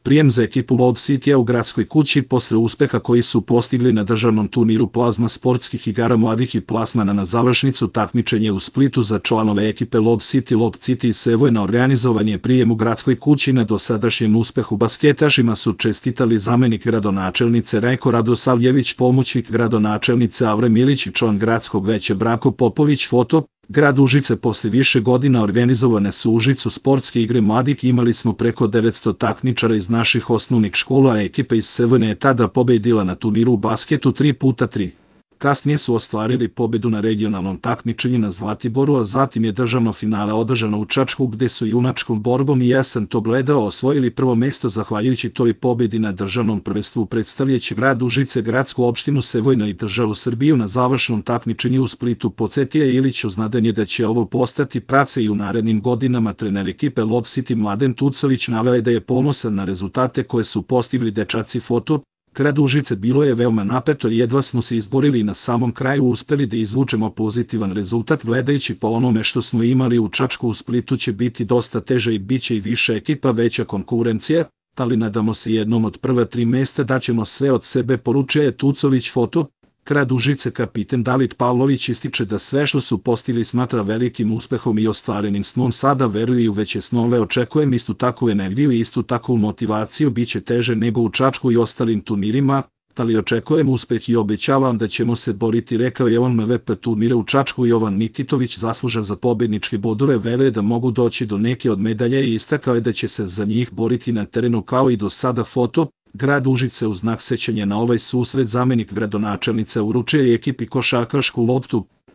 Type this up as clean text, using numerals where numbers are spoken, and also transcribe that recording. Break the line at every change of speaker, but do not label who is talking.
Prijem za ekipu Loud Citya u gradskoj kući posle uspeha koji su postigli na državnom turniru Plazma sportskih igara mladih i plasmana na završnicu takmičenja u Splitu za članove ekipe Loud City iz Sevojna organizovan je prijem u gradskoj kući. Na dosadašnjem uspehu basketašima su čestitali zamenik gradonačelnice Rajko Radosavljević, pomoćnik gradonačelnice Avra Milić i član gradskog veća Branko Popović. Foto: grad Užice. Posle više godina organizovane su u Užicu sportske igre mladih. Imali smo preko 900 takmičara iz naših osnovnih škola, a ekipa iz Sevojna je tada pobedila na turniru u basketu 3x3. Kasnije su ostvarili pobedu na regionalnom takmičenju na Zlatiboru, a zatim je državno finale održano u Čačku, gde su junačkom borbom, i ja sam to gledao, osvojili prvo mesto zahvaljujući toj pobedi na državnom prvenstvu predstavljajući grad Užice, gradsku opštinu Sevojna i državu Srbiju na završnom takmičenju u Splitu. Podsjetio Ilić uznadan je da će ovo postati praksa i u narednim godinama. Trener ekipe Loud City Mladen Tucović naveo je da je ponosan na rezultate koje su postigli dečaci. Foto: grad Užice. Bilo je veoma napeto i jedva smo se izborili i na samom kraju uspeli da izvučemo pozitivan rezultat. Gledajući po onome što smo imali u Čačku, u Splitu će biti dosta teže i bit će i više ekipa, veća konkurencija, ali nadamo se jednom od prva 3 mesta daćemo sve od sebe, poručio je Tucović. Foto: grad Užice. Kapiten David Pavlović ističe da sve što su postigli smatra velikim uspehom i ostvarenim snom. Sada veruju i u veće snove. Očekujem istu takvu energiju i istu takvu motivaciju. Biće teže nego u Čačku i ostalim turnirima, ali očekujem uspeh i obećavam da ćemo se boriti, rekao je on. MVP turnira u Čačku Jovan Nikitović, zaslužan za pobedničke bodove, veruje da mogu doći do neke od medalje i istakao je da će se za njih boriti na terenu kao i do sada. Foto: grad Užice. U znak sećanja na ovaj susret zamenik gradonačelnice uručio je ekipi košarkašku loptu.